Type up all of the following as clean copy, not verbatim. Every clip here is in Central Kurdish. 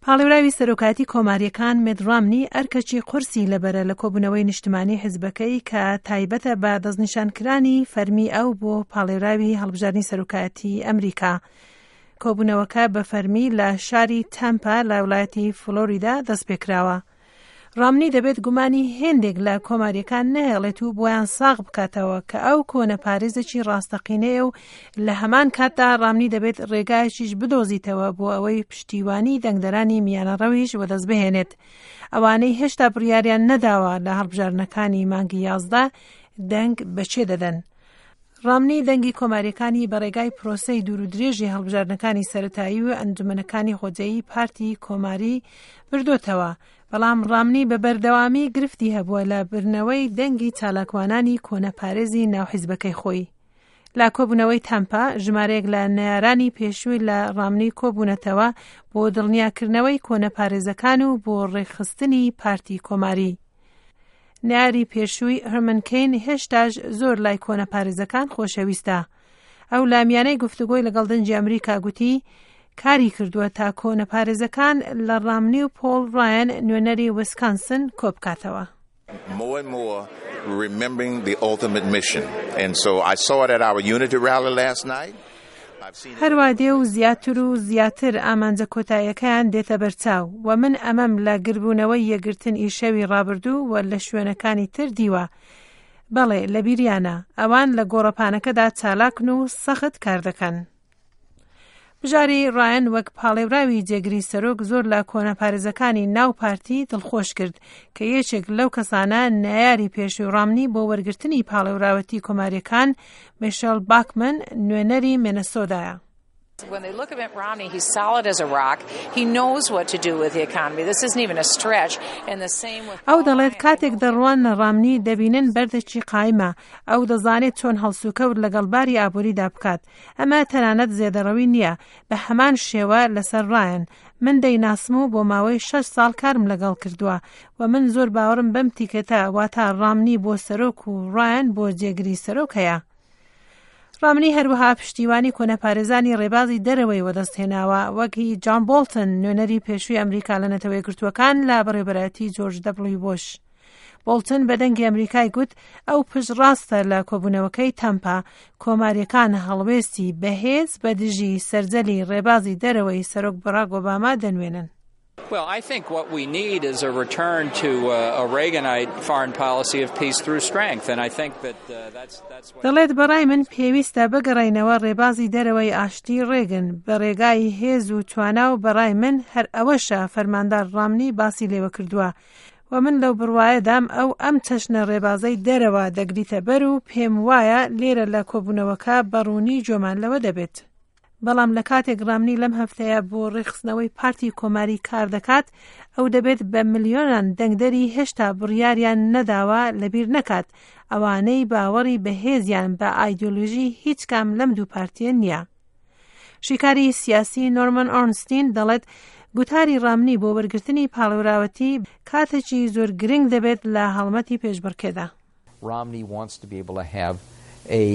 پاڵێوراوی سەرۆکایەتی کۆمارییەکان مێت ڕامنی ئەرکەکی قورسی لەبەرە لە کۆبوونەوەی نیشتمانی حیزبەکەی کە تایبەتە بە دەستنیشانکرانی فەرمی ئەو بۆ پاڵێوراوی هەڵبژاردنی سەرۆکایەتی ئەمریکا. کۆبوونەوەکە بە فەرمی لە شاری تەمپا لە وڵایەتی فلۆریدا دەستپێکراوە. ڕامنی دەبێت گومانی هێندێک لە کۆمارییەکان نەهێڵێت و بۆیان ساغ بکاتەوە کە ئەو کۆنەپارێزێکی ڕاستەقینەیە و لە هەمان کاتدا ڕامنی دەبێت ڕێگایەکیش بدۆزیتەوە بۆ ئەوەی پشتیوانی دەنگدەرانی میانەڕەویش وەدەست بهێنێت ئەوانەی هێشتا بڕیاریان نەداوە لە هەڵبژاردنەکانی مانگی 11 دەنگ بە کێ دەدەن. ڕامنی دەنگی کۆماریەکانی بە ڕێگای پرۆسەی دوور و درێژی هەڵبژاردنەکانی سەرەتایی و ئەنجومەنەکانی خۆجێیی پارتی کۆماری بردۆتەوە، بەڵام ڕامنی بە بەردەوامی گرفتی هەبووە لە بردنەوەی دەنگی چالاکوانانی کۆنەپارێزی ناو حیزبەکەی خۆی. لە کۆبوونەوەی تەمپا، ژمارەیەک لە نەیارانی پێشووی لە ڕامنی کۆبوونەتەوە بۆ دڵنیاکردنەوەی کۆنەپارێزەکان و بۆ ڕێکخستنی پارتی کۆماری. نەیاری پێشووی هەرمن کەین هێشتاش زۆر لای کۆنەپارێزەکان خۆشەویستە. ئەو لە میانەی گفتوگۆی لەگەڵ دەنگی ئەمریکا گوتی کاری کردووە تا کۆنەپارێزەکان لە ڕامنی و پۆڵ ڕایەن نوێنەری ویسکانسن کۆبکاتەوە. More and more remembering the ultimate mission. And so I saw it at our unity rally last night. هەروا دێ و زیاتر و زیاتر ئامانجە کۆتاییەکەیان دێتە بەرچاو و من ئەمەم لە گربوونەوەی یەکگرتن ی شەوی ڕابردوو و لە شوێنەکانی تر دیوە. بەڵێ، لەبیریانە. ئەوان لە گۆڕەپانەکەدا چالاکن و سەخت کار دەکەن. بژاری ڕایەن وەک پاڵێوراوی جێگری سەرۆک زۆر لە کۆنەپارێزەکانی ناو پارتی دڵخۆش کرد کە یەکێک لەو کەسانە نەیاری پێشووی ڕامنی بۆ وەرگرتنی پاڵێوراوەتی کۆماریەکان میشێل باکمن نوێنەری مێنەسۆدایە. When they look at Mitt Romney, he's solid as a rock. He knows what to do with the economy. This isn't even a stretch. And the same with ئەو دەڵێت کاتێک دەڕواننە ڕامنی دەبینن بەردێکی قایمە، ئەو دەزانێت چۆن هەڵسوکەوت لەگەڵ باری ئابووریدا بکات. ئەمە تەنانەت زێدەڕەوی نییە، بە هەمان شێوە لەسەر ڕایەن. من دەیناسم و بۆ ماوەی شەش ساڵ کارم لەگەڵ کردووە و من زۆر باوەڕم بەم تیکێتە واتا ڕامنی بۆ سەرۆک و ڕایەن بۆ جێگری سەرۆک هەیە. ڕامنی هەروەها پشتیوانی کۆنەپارێزانی ڕێبازی دەرەوەی وەدەستهێناوە وەک هی جان بۆڵتن نوێنەری پێشووی ئەمریکا لە نەتەوە یەکگرتووەکان لە بەڕێوەبەرایەتی جۆرج دەبڵیو بۆش. بۆڵتن بە دەنگی ئەمریکای گوت ئەو پشتڕاستە لە کۆبوونەوەکەی تەمپا کۆماریەکان هەڵوێستی بەهێز بە دژی سەرجەلی ڕێبازی دەرەوەی سەرۆک بەڕاک ئۆباما دەنوێنن. Well, I think what we need is a return to a Reaganite foreign policy of peace through strength, and I think that that's that's what. دەڵێت بەڕای من پێویستە بگەڕێینەوە ڕێبازی دەرەوەی ئاشتی ڕێگن بە ڕێگای هێز و توانا و بەڕای من هەر ئەوەشە فەرماندار ڕامنی باسی لێوە کردووە و من لەو بڕوایەدام ئەو ئەم چەشنە ڕێبازەی دەرەوە دەگریتە بەر و پێم وایە لێرە لە کۆبوونەوەکە بە ڕوونی گوێمان لەوە دەبێت. بەڵام لە کاتێک ڕامنی لەم هەفتەیە بۆ ڕێکخستنەوەی پارتی کۆماری کار دەکات، ئەو دەبێت بە ملیۆنان دەنگدەری هێشتا بڕیاریان نەداوە لەبیر نەکات، ئەوانەی باوەڕی بەهێزیان بە ئایدیۆلۆژی هیچ کام لەم دوو پارتیە نییە. شیکاری سیاسی نۆرمەن ئۆرنستین دەڵێت گوتاری ڕامنی بۆ وەرگرتنی پاڵێوراوەتی کاتێکی زۆر گرنگ دەبێت لە هەڵمەتی پێشبڕکێدا. Romney wants to be able to have a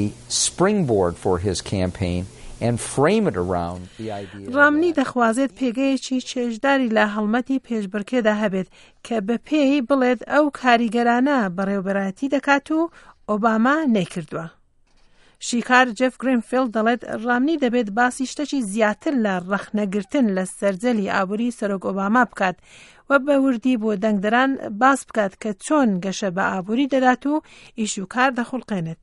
springboard for his campaign and frame it around the idea. ڕامنی دەخوازێت پێگەیەکی چێژداری لە هەڵمەتی پێشبڕکێدا هەبێت کە بە پێی بڵێت ئەو کاریگەرانە بەڕێوەبەرایەتی دەکات و ئۆباما نەیکردووە. شیکار جێف گرینفیڵد دەڵێت ڕامنی دەبێت باسی شتەکی زیاتر لە ڕەخنەگرتن لە سەرجەلی ئابووری سەرۆک ئۆباما بکات و بە وردی بۆ دەنگدەران باس بکات کە چۆن گەشە بە ئابووری دەدات و ئیش و کار دەخوڵقێنێت.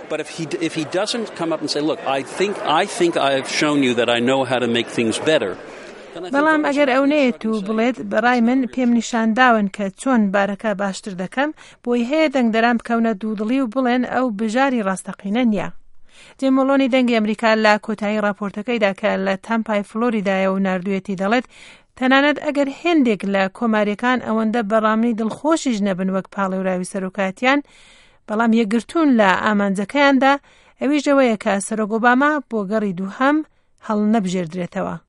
But if he if he doesn't come up and say, look, I think I think I have shown you that I know how to make things better. بەڵام ئەگەر ئەو نەیەت و بڵێت بەڕای من پێم نیشانداون کە چۆن بارەکە باشتر دەکەم، بۆی هەیە دەنگدەران بکەونە دوودڵی و بڵێن ئەو بژاری ڕاستەقینە نییە. جیم مۆلۆنی دەنگی ئەمریکا لە کۆتایی ڕاپۆرتەکەیدا کە لە تەمپای فلۆریدایە و ناردوویەتی دەڵێت تەنانەت ئەگەر هێندێک لە کۆماریەکان ئەوەندە بە ڕامنی دڵخۆشیش نەبن وەک پاڵێوراوی سەرۆکایەتیان بەڵام یەکگرتوون لە ئامانجەکەیاندا ئەویش ئەوەیە کە سەرۆک ئۆباما بۆ گەڕی دووهەم هەڵنەبژێردرێتەوە.